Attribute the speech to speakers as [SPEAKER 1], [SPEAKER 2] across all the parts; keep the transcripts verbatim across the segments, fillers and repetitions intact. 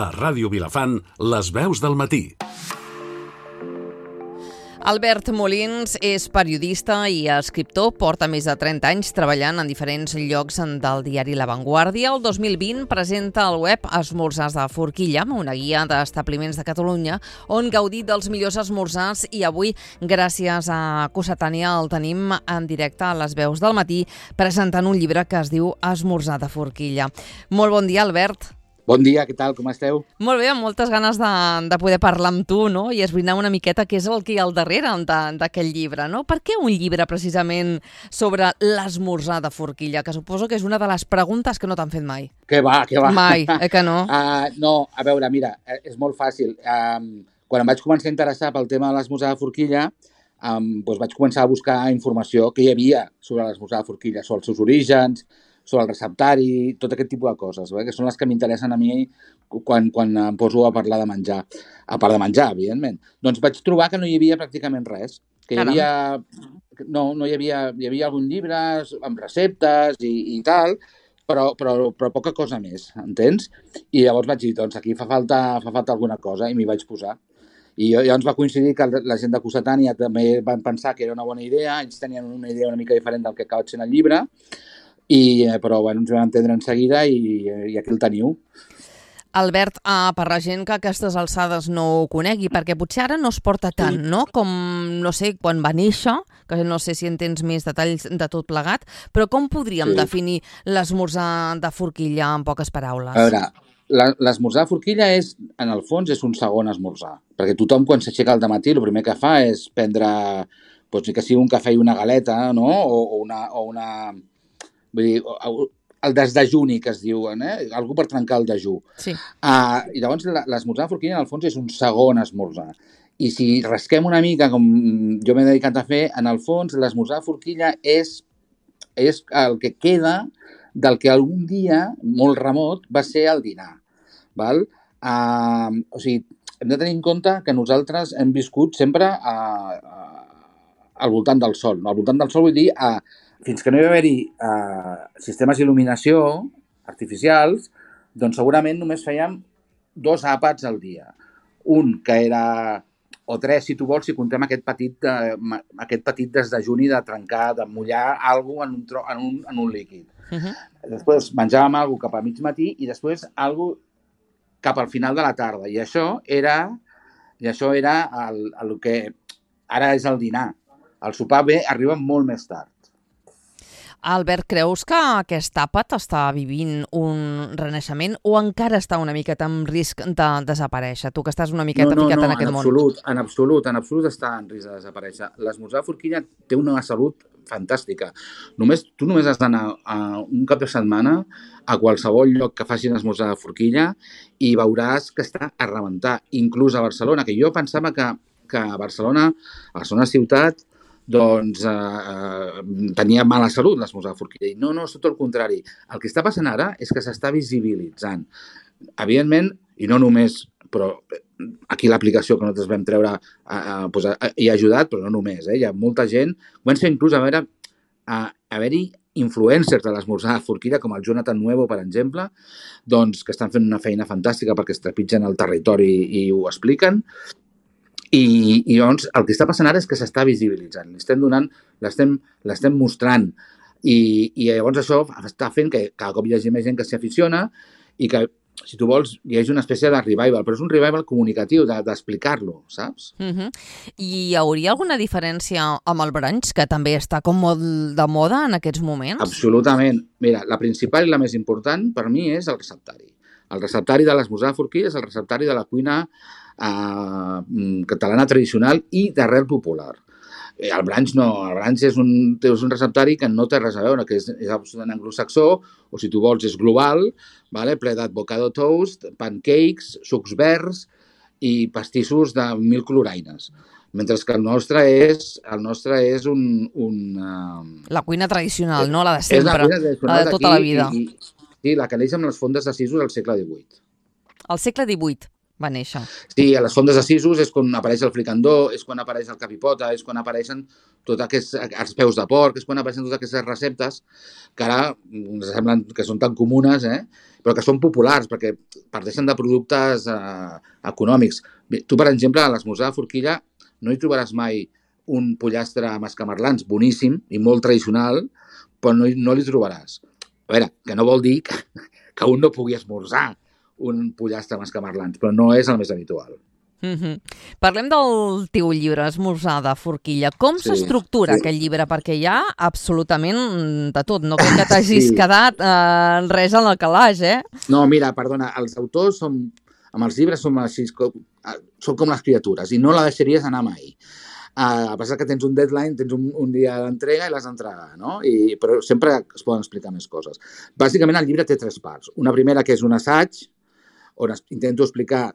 [SPEAKER 1] A Ràdio Vilafant, les veus del matí.
[SPEAKER 2] Albert Molins és periodista i escriptor, porta més de trenta anys treballant en diferents llocs del diari La Vanguardia. El dos mil vint presenta al web Esmorzars de Forquilla, una guia d'establiments de Catalunya on gaudir dels millors esmorzars, i avui, gràcies a Cossetània, el tenim en directe a les veus del matí presentant un llibre que es diu Esmorzar de Forquilla. Molt bon dia, Albert.
[SPEAKER 3] Bon dia, què tal, com esteu?
[SPEAKER 2] Molt bé, amb moltes ganes de, de poder parlar amb tu, no? I esbrinar una miqueta què és el que hi ha al darrere d'aquest llibre, no? Per què un llibre precisament sobre l'esmorzar de Forquilla? Que suposo que és una de les preguntes que no t'han fet mai.
[SPEAKER 3] Que va, que va.
[SPEAKER 2] Mai, eh que no?
[SPEAKER 3] Uh, no, a veure, mira, és molt fàcil. Um, quan em vaig començar a interessar pel tema de l'esmorzar de Forquilla, um, doncs vaig començar a buscar informació que hi havia sobre l'esmorzar de Forquilla, sobre els seus orígens, sobre el receptari, tot aquest tipus de coses, eh? Que són les que m'interessen a mi quan, quan em poso a parlar de menjar. A part de menjar, evidentment. Doncs vaig trobar que no hi havia pràcticament res. Que hi havia... No, no hi havia... Hi havia algun llibre amb receptes i, i tal, però, però, però poca cosa més, entens? I llavors vaig dir, doncs aquí fa falta, fa falta alguna cosa, i m'hi vaig posar. I llavors va coincidir que la gent de Cossetània també van pensar que era una bona idea, ells tenien una idea una mica diferent del que acaba sent el llibre, I, però bueno, ens vam entendre en seguida i, i aquí el teniu.
[SPEAKER 2] Albert, uh, per la gent que a aquestes alçades no ho conegui, perquè potser ara no es porta tant, no? Com, no sé, quan va néixer, que no sé si en tens més detalls de tot plegat, però com podríem sí. definir l'esmorzar de Forquilla en poques paraules?
[SPEAKER 3] A veure, l'esmorzar de Forquilla és, en el fons, és un segon esmorzar, perquè tothom quan s'aixeca al dematí el primer que fa és prendre, doncs, que sigui un cafè i una galeta, no? O, o una... O una Vull dir, el desdejuni que es diuen, eh? Algú per trencar el dejú.
[SPEAKER 2] Sí.
[SPEAKER 3] Uh, I llavors l'esmorzar de Forquilla en el fons és un segon esmorzar. I si rasquem una mica, com jo m'he dedicat a fer, en el fons l'esmorzar de Forquilla és, és el que queda del que algun dia, molt remot, va ser el dinar. Val? Uh, o sigui, hem de tenir en compte que nosaltres hem viscut sempre a, a, al voltant del sol. No? Al voltant del sol vull dir a fins que no hi va haver-hi uh, sistemes d'il·luminació artificials, doncs segurament només fèiem dos àpats al dia. Un que era, o tres si tu vols, si contem aquest petit, de, aquest petit desdejuni de trencar, de mullar alguna cosa en un, tro, en un, en un líquid. Uh-huh. Després menjàvem alguna cosa cap a mig matí i després alguna cosa cap al final de la tarda. I això era, i això era el, el que ara és el dinar. El sopar bé arriba molt més tard.
[SPEAKER 2] Albert, creus que aquest àpat està vivint un renaixement o encara està una miqueta en risc de desaparèixer? Tu que estàs una miqueta
[SPEAKER 3] no, no,
[SPEAKER 2] ficat
[SPEAKER 3] no,
[SPEAKER 2] en aquest
[SPEAKER 3] en
[SPEAKER 2] món.
[SPEAKER 3] Absolut, en absolut, en absolut està en risc de desaparèixer. L'esmorzar de Forquilla té una salut fantàstica. Només, tu només has d'anar a un cap de setmana a qualsevol lloc que facin esmorzar de Forquilla i veuràs que està a rebentar, inclús a Barcelona, que jo pensava que, que a Barcelona, a Barcelona ciutat, doncs eh, tenia mala salut l'esmorzar de Forquilla. I no, no, és tot el contrari. El que està passant ara és que s'està visibilitzant. Evidentment, i no només, però aquí l'aplicació que nosaltres vam treure eh, eh, doncs, eh, hi ha ajudat, però no només. Eh? Hi ha molta gent, comença inclús a veure a haver-hi influencers de l'esmorzar de Forquilla, com el Jonathan Nuevo, per exemple, doncs, que estan fent una feina fantàstica perquè es trepitgen el territori i ho expliquen. I, i llavors el que està passant ara és que s'està visibilitzant, l'estem donant, l'estem, l'estem mostrant i, i llavors això està fent que cada cop hi hagi més gent que s'hi aficiona i que, si tu vols, hi hagi una espècie de revival, però és un revival comunicatiu, de, d'explicar-lo, saps?
[SPEAKER 2] Uh-huh. I hi hauria alguna diferència amb el brunch, que també està com molt de moda en aquests moments?
[SPEAKER 3] Absolutament. Mira, la principal i la més important per mi és el receptari. El receptari de l'esmorzar de Forquilla és el receptari de la cuina Uh, catalana tradicional i d'arrel popular. El brunch no, el brunch és un, és un receptari que no té res a veure, que és, és absolutament anglosaxó, o si tu vols és global, vale? Ple d'avocado toast, pancakes, sucs verds i pastissos de mil coloraines. Mentre que el nostre és, el nostre és un... un uh...
[SPEAKER 2] La cuina tradicional, no? La de sempre,
[SPEAKER 3] la, cuina
[SPEAKER 2] la de tota la vida.
[SPEAKER 3] I, i, sí, la que neix amb les fondes de sisos al segle divuit.
[SPEAKER 2] Al segle divuit? va néixer.
[SPEAKER 3] Sí, a les fondes de Sisos és quan apareix el fricandó, és quan apareix el capipota, és quan apareixen tots aquests els peus de porc, és quan apareixen totes aquestes receptes que ara ens semblen que són tan comunes, eh? Però que són populars, perquè parteixen de productes eh, econòmics. Bé, tu, per exemple, a l'esmorzar de forquilla no hi trobaràs mai un pollastre amb escamarlans boníssim i molt tradicional, però no, no li trobaràs. A veure, que no vol dir que, que un no pugui esmorzar un pollastre amb escamarlans, però no és el més habitual.
[SPEAKER 2] Mm-hmm. Parlem del teu llibre, Esmorzar de forquilla. Com
[SPEAKER 3] Sí,
[SPEAKER 2] s'estructura
[SPEAKER 3] sí.
[SPEAKER 2] aquest llibre? Perquè hi ha absolutament de tot. No crec que t'hagis
[SPEAKER 3] Sí.
[SPEAKER 2] quedat eh, res a la calaix, eh?
[SPEAKER 3] No, mira, perdona, els autors som, amb els llibres som així, com, són com les criatures i no la deixaries anar mai. Uh, a pesar que tens un deadline, tens un, un dia d'entrega i l'has d'entregar, no? I, però sempre es poden explicar més coses. Bàsicament, el llibre té tres parts. Una primera, que és un assaig, on es, intento explicar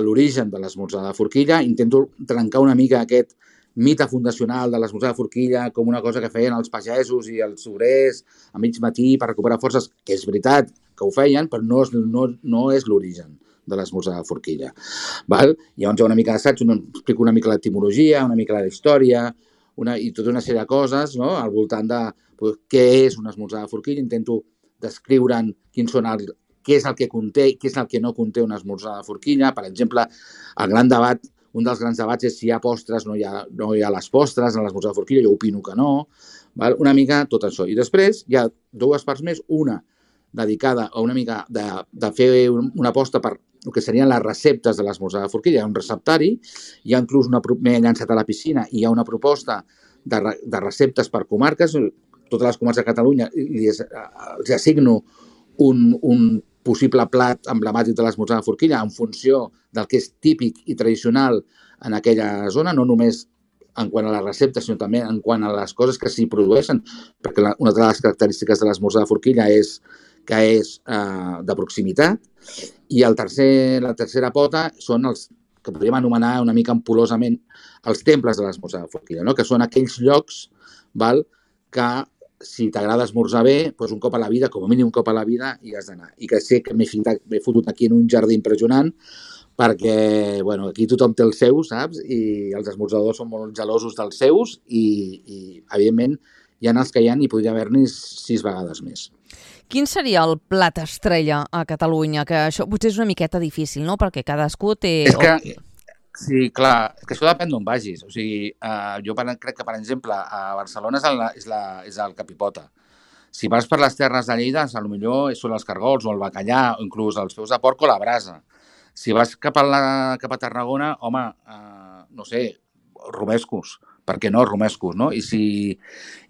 [SPEAKER 3] l'origen de l'esmorzar de forquilla, intento trencar una mica aquest mite fundacional de l'esmorzar de forquilla com una cosa que feien els pagesos i els obrers a mig matí per recuperar forces, que és veritat que ho feien, però no és, no, no és l'origen de l'esmorzar de forquilla. Val? Llavors hi ha una mica d'assaig, on explico una mica l'etimologia, una mica la història, una, i tota una sèrie de coses, no?, al voltant de pues, què és un esmorzar de forquilla. Intento descriure'n quins són el, què és el que conté i què és el que no conté un esmorzar de forquilla. Per exemple, el gran debat, un dels grans debats és si hi ha postres o no hi ha, no hi ha les postres en l'esmorzar de forquilla. Jo opino que no. Val? Una mica tot això. I després hi ha dues parts més, una dedicada a una mica de, de fer una aposta per el que serien les receptes de l'esmorzar de forquilla. Hi ha un receptari, hi ha inclús una, m'he llançat a la piscina i hi ha una proposta de, de receptes per comarques. Totes les comarques de Catalunya els, els assigno un, un possible plat emblemàtic de l'esmorzar de forquilla en funció del que és típic i tradicional en aquella zona, no només en quant a les receptes, sinó també en quant a les coses que s'hi produeixen, perquè la, una de les característiques de l'esmorzar de forquilla és que és eh, de proximitat, i el tercer, la tercera pota són els que podríem anomenar una mica ampulosament els temples de l'esmorzar de forquilla, no? Que són aquells llocs, val, que si t'agrada esmorzar bé, doncs un cop a la vida, com a mínim un cop a la vida, hi has d'anar. I que sé que m'he fotut aquí en un jardí impressionant, perquè bueno, aquí tothom té els seus, saps? I els esmorzadors són molt gelosos dels seus i, i evidentment, hi ha els que hi ha i podria haver-n'hi sis vegades més.
[SPEAKER 2] Quin seria el plat estrella a Catalunya? Que això potser és una miqueta difícil, no? Perquè cadascú té...
[SPEAKER 3] És que, sí, clar, és que això depèn d'on vagis. O sigui, eh, jo crec que, per exemple, a Barcelona és el, és la, és el capipota. Si vas per les terres de Lleida, potser són els cargols o el bacallà, o inclús els peus de porc o la brasa. Si vas cap a, la, cap a Tarragona, home, eh, no sé, romescos. Per què no, romescos, no? I si,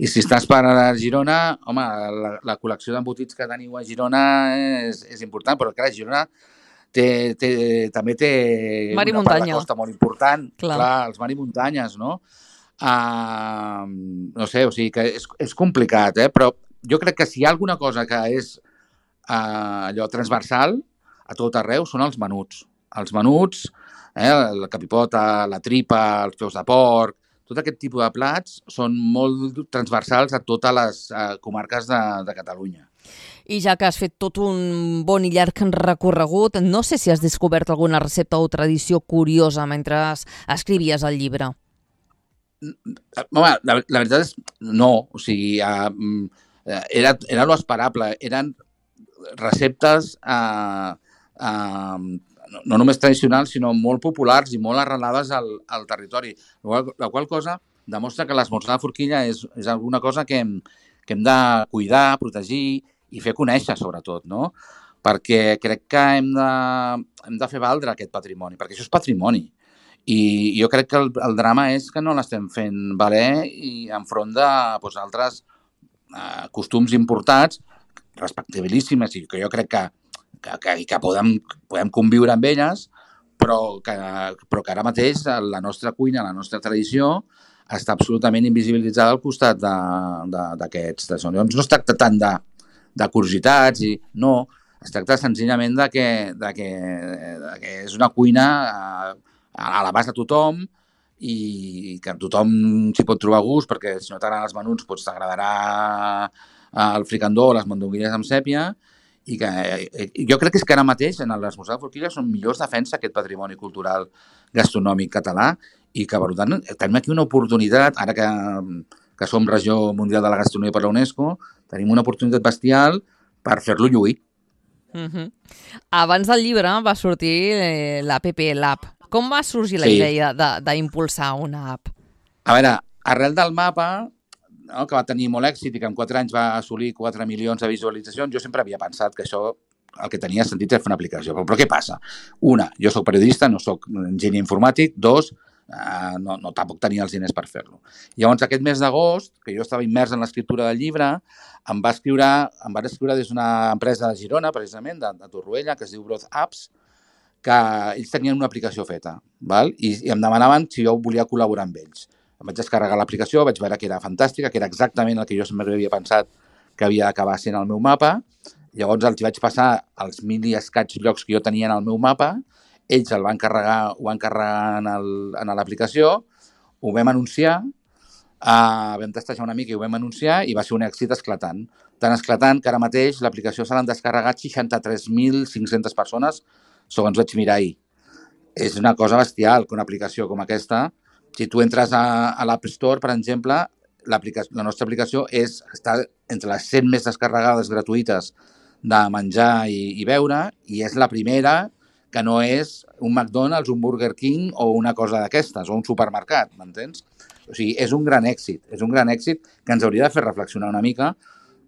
[SPEAKER 3] i si estàs per a Girona, home, la, la col·lecció d'embotits que teniu a Girona és, és important, però clar, Girona té, té, també té
[SPEAKER 2] mar i
[SPEAKER 3] una
[SPEAKER 2] muntanya.
[SPEAKER 3] part de costa molt important.
[SPEAKER 2] Clar,
[SPEAKER 3] clar els mar i muntanyes, no? Uh, no sé, o sigui que és, és complicat, eh? Però jo crec que si hi ha alguna cosa que és uh, allò transversal a tot arreu són els menuts. Els menuts, eh? La capipota, la tripa, els peus de porc, tot aquest tipus de plats són molt transversals a totes les uh, comarques de, de Catalunya.
[SPEAKER 2] I ja que has fet tot un bon i llarg recorregut, no sé si has descobert alguna recepta o tradició curiosa mentre escrivies el llibre.
[SPEAKER 3] Home, la, la veritat és no. O sigui, uh, era, era lo esperable. Eren receptes uh, uh, no només tradicionals, sinó molt populars i molt arrelades al, al territori. La qual, la qual cosa demostra que l'esmorzar de forquilla és, és alguna cosa que hem, que hem de cuidar, protegir i fer conèixer, sobretot, no? Perquè crec que hem de, hem de fer valdre aquest patrimoni, perquè això és patrimoni. I jo crec que el, el drama és que no l'estem fent valer i enfront de doncs, altres eh, costums importats, respectabilíssimes, i que jo crec que que, que, que podem, podem conviure amb elles, però que, però que ara mateix la nostra cuina, la nostra tradició, està absolutament invisibilitzada al costat d'aquests. Llavors no es tracta tant de, de curiositats, i no, es tracta senzillament de que, de que, de que és una cuina a, a l'abast de tothom i que tothom s'hi pot trobar gust, perquè si no t'agraden els menuts, doncs t'agradarà el fricandó o les mandonguilles amb sèpia, i que eh, jo crec que és que ara mateix en l'esmorzar de forquilla són millors defensa aquest patrimoni cultural gastronòmic català i que, per tant, tenim aquí una oportunitat, ara que, que som regió mundial de la gastronomia per la UNESCO, tenim una oportunitat bestial per fer-lo lluir.
[SPEAKER 2] Uh-huh. Abans del llibre va sortir eh, l'App, l'app. Com va sorgir la sí. idea d'impulsar una app?
[SPEAKER 3] A veure, arrel del mapa, no, que va tenir molt èxit i que en quatre anys va assolir quatre milions de visualitzacions, jo sempre havia pensat que això el que tenia sentit era fer una aplicació. Però, però què passa? Una, jo sóc periodista, no sóc enginyer informàtic. Dos, eh, no, no tampoc tenia els diners per fer-lo. Llavors, aquest mes d'agost, que jo estava immers en l'escriptura del llibre, em va escriure, em van escriure des d'una empresa de Girona, precisament, de, de Torroella, que es diu Growth Apps, que ells tenien una aplicació feta, val? I, i em demanaven si jo volia col·laborar amb ells. Em vaig descarregar l'aplicació, vaig veure que era fantàstica, que era exactament el que jo sempre havia pensat que havia d'acabar sent el meu mapa. Llavors els vaig passar els mil i escaig llocs que jo tenia en el meu mapa, ells el van carregar, ho van carregar en l'aplicació, ho vam anunciar, uh, vam testejar una mica i ho vam anunciar i va ser un èxit esclatant. Tan esclatant que ara mateix l'aplicació se l'han descarregat seixanta-tres mil cinc-centes persones, segons vaig mirar ahir. És una cosa bestial que una aplicació com aquesta, si tu entres a, a l'App Store, per exemple, la nostra aplicació és, està entre les cent més descarregades gratuïtes de menjar i, i beure, i és la primera que no és un McDonald's, un Burger King o una cosa d'aquestes, o un supermercat, m'entens? O sigui, és un gran èxit, és un gran èxit que ens hauria de fer reflexionar una mica,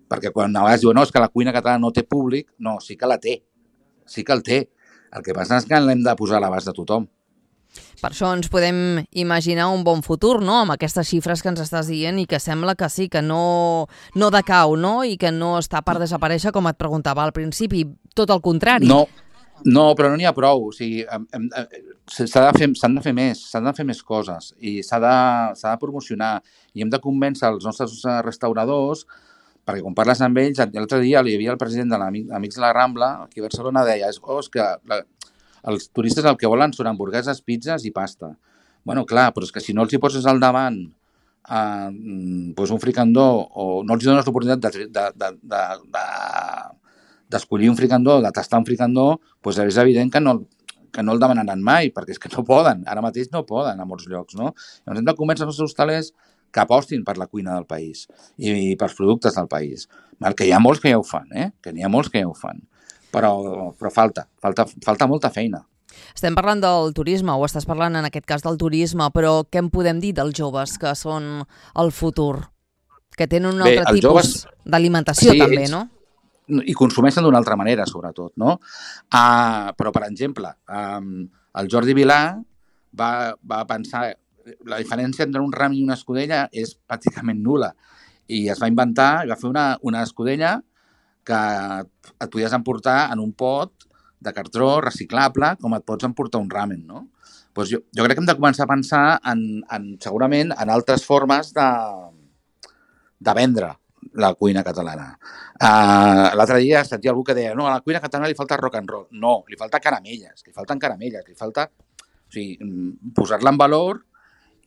[SPEAKER 3] perquè quan a vegades diuen no, és que la cuina catalana no té públic, no, sí que la té, sí que el té. El que passa és que l'hem de posar a l'abast de tothom.
[SPEAKER 2] Per això ens podem imaginar un bon futur, no?, amb aquestes xifres que ens estàs dient i que sembla que sí, que no, no decau, no?, i que no està per desaparèixer, com et preguntava al principi, tot el contrari.
[SPEAKER 3] No, no, però no n'hi ha prou. O sigui, s'han de fer, s'han de fer més, s'han de fer més coses i s'ha de, s'ha de promocionar i hem de convèncer els nostres restauradors, perquè quan parles amb ells, l'altre dia hi havia el president de l'Amics de la Rambla, aquí a Barcelona, deia, oh, és que la, els turistes el que volen són hamburgueses, pizzas i pasta. Bueno, clar, però és que si no els hi poses al davant eh, doncs un fricandó o no els dones l'oportunitat de, de, de, de, de, d'escollir un fricandó, de tastar un fricandó, doncs és evident que no, que no el demanaran mai, perquè és que no poden, ara mateix no poden a molts llocs, no? Llavors hem de convèncer els hostalers que apostin per la cuina del país i, i pels productes del país. Que hi ha molts que ja ho fan, eh? Que n'hi ha molts que ja ho fan. Però, però falta, falta, falta molta feina.
[SPEAKER 2] Estem parlant del turisme, o estàs parlant en aquest cas del turisme, però què en podem dir dels joves que són el futur? Que tenen un altre Bé, tipus joves... d'alimentació sí, també, ells... no?
[SPEAKER 3] I consumeixen d'una altra manera, sobretot, no? Uh, però, per exemple, um, el Jordi Vilà va, va pensar... La diferència entre un ram i una escudella és pràcticament nul·la. I es va inventar, i va fer una, una escudella que et podies emportar en un pot de cartró reciclable com et pots emportar un ramen, no? Doncs jo, jo crec que hem de començar a pensar en, en, segurament en altres formes de, de vendre la cuina catalana. Uh, L'altre dia sentia algú que deia no, a la cuina catalana li falta rock and roll. No, li falta caramelles, li falten caramelles, li falta o sigui, posar-la en valor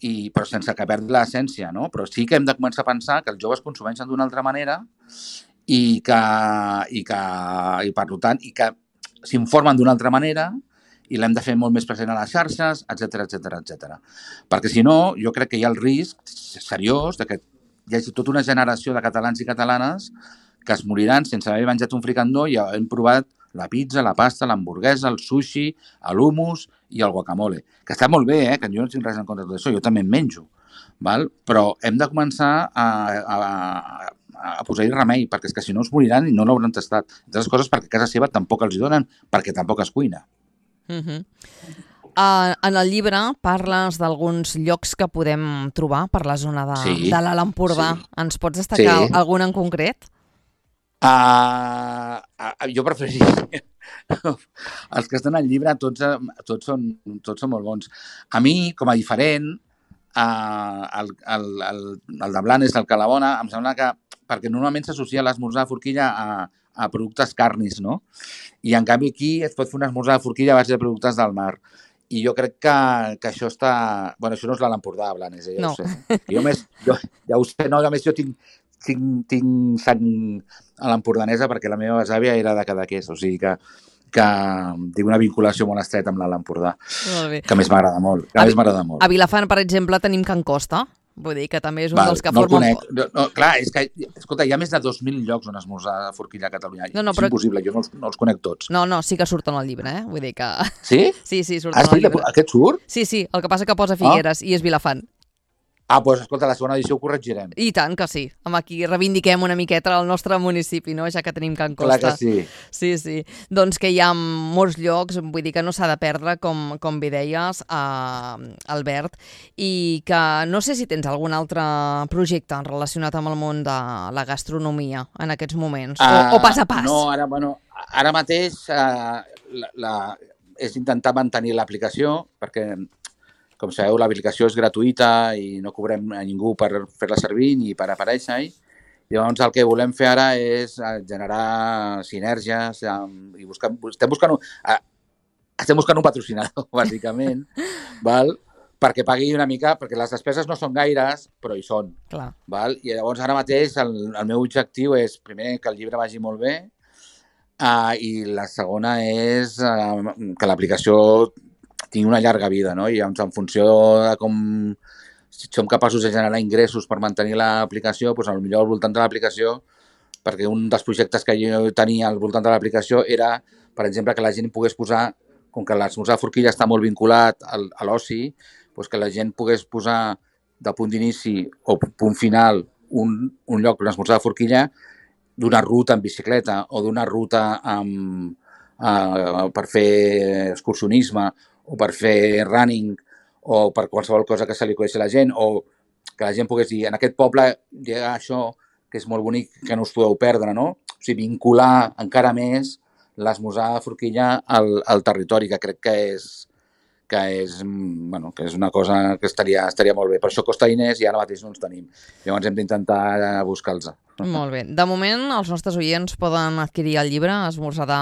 [SPEAKER 3] i, però sense que perdi l'essència, no? Però sí que hem de començar a pensar que els joves consumeixen d'una altra manera i que, i que i per tant, i que s'informen d'una altra manera i l'hem de fer molt més present a les xarxes, etcètera, etcètera, etcètera. Perquè si no, jo crec que hi ha el risc seriós de que hi hagi tota una generació de catalans i catalanes que es moriran sense haver menjat un fricandó i hem provat la pizza, la pasta, l'hamburguesa, el sushi, l'hummus i el guacamole. Que està molt bé, eh? Que jo no tinc res en contra de tot això, jo també en menjo. Val? Però hem de començar a, a, a, a posar-hi remei, perquè és que si no es moriran i no l'hauran tastat. Entre les coses perquè a casa seva tampoc els hi donen, perquè tampoc es cuina.
[SPEAKER 2] Uh-huh. Uh, en el llibre parles d'alguns llocs que podem trobar per la zona de, sí, de l'Alt Empordà. Sí. Ens pots destacar sí. algun en concret?
[SPEAKER 3] Uh, uh, jo preferiria els que estan al llibre tots, tots, són, tots són molt bons. A mi, com a diferent, uh, el, el, el, el de Blanes, el Calabona, em sembla que perquè normalment s'associa l'esmorzar de forquilla a, a productes carnis, no? I en canvi aquí es pot fer un esmorzar de forquilla a base de productes del mar. I jo crec que, que això està... Bueno, això no és l'Alt Empordà, Blanes, eh? Ja
[SPEAKER 2] no.
[SPEAKER 3] ho sé. Jo, més, jo, ja ho sé, no, a més jo tinc tinc, tinc sang a l'empordanesa perquè la meva besàvia era de Cadaqués, o sigui que que tinc una vinculació molt estreta amb l'Alt Empordà, que a més m'agrada molt. Que a, a més m'agrada molt.
[SPEAKER 2] A Vilafant, per exemple, tenim Can Costa, vull dir que també és un
[SPEAKER 3] Val,
[SPEAKER 2] dels que
[SPEAKER 3] no
[SPEAKER 2] formen...
[SPEAKER 3] No, no, clar, és que, escolta, hi ha més de dos mil llocs on esmorzar a forquilla a Catalunya. No, no, és però... impossible, jo no els, no els conec tots.
[SPEAKER 2] No, no, sí que surten al llibre, eh? Vull dir que...
[SPEAKER 3] Sí?
[SPEAKER 2] Sí, sí, surten
[SPEAKER 3] ah, sí,
[SPEAKER 2] al llibre.
[SPEAKER 3] Aquest surt?
[SPEAKER 2] Sí, sí, el que passa que posa Figueres ah? i és Vilafant.
[SPEAKER 3] Ah, doncs escolta, la segona edició ho corregirem.
[SPEAKER 2] I tant que sí. Amb aquí reivindiquem una miqueta el nostre municipi, no? Ja que tenim Can Costa.
[SPEAKER 3] Clar que sí.
[SPEAKER 2] Sí, sí. Doncs que hi ha molts llocs, vull dir que no s'ha de perdre, com, com bé deies, eh, Albert, i que no sé si tens algun altre projecte relacionat amb el món de la gastronomia en aquests moments, uh, o, o pas a pas.
[SPEAKER 3] No, ara, bueno, ara mateix uh, la, la, és intentar mantenir l'aplicació, perquè... Com sabeu, l'aplicació és gratuïta i no cobrem a ningú per fer-la servir ni per aparèixer-hi. Llavors, el que volem fer ara és generar sinergies i buscar... Estem buscant un, estem buscant un patrocinador, bàsicament, val? Perquè pagui una mica, perquè les despeses no són gaires, però hi són.
[SPEAKER 2] Clar.
[SPEAKER 3] Val? I llavors, ara mateix, el, el meu objectiu és, primer, que el llibre vagi molt bé, uh, i la segona és uh, que l'aplicació tingui una llarga vida, no? I en funció de com si som capaços de generar ingressos per mantenir l'aplicació, doncs potser al voltant de l'aplicació, perquè un dels projectes que jo tenia al voltant de l'aplicació era, per exemple, que la gent pogués posar, com que l'esmorzar a forquilla està molt vinculat al, a l'oci, doncs que la gent pogués posar de punt d'inici o punt final un, un lloc, un esmorzar a forquilla, d'una ruta en bicicleta o d'una ruta amb, uh, per fer excursionisme o per fer running, o per qualsevol cosa que se li acudeixi a la gent, o que la gent pogués dir, en aquest poble hi ha això, que és molt bonic, que no us podeu perdre, no? O sigui, vincular encara més l'esmorzar a forquilla al, al territori, que crec que és, que és, bueno, que és una cosa que estaria, estaria molt bé. Per això costa diners i ara mateix no els tenim. Llavors hem d'intentar buscar-los.
[SPEAKER 2] Molt bé. De moment, els nostres oients poden adquirir el llibre Esmorzar de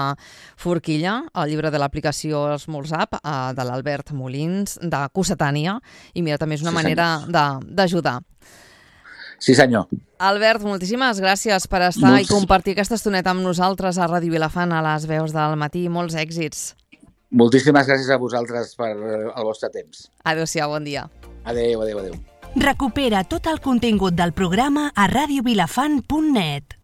[SPEAKER 2] forquilla, el llibre de l'aplicació Esmorzap, de l'Albert Molins, de Cossetània, i mira, també és una sí, manera d'ajudar.
[SPEAKER 3] Sí, senyor.
[SPEAKER 2] Albert, moltíssimes gràcies per estar Molts... i compartir aquesta estoneta amb nosaltres a Ràdio Vilafant, a les veus del matí. Molts èxits.
[SPEAKER 3] Moltíssimes gràcies a vosaltres per el vostre temps.
[SPEAKER 2] Adéu-siau, bon dia.
[SPEAKER 3] Adéu, adéu, adéu.
[SPEAKER 4] Recupera tot el contingut del programa a radio vilafant punt net.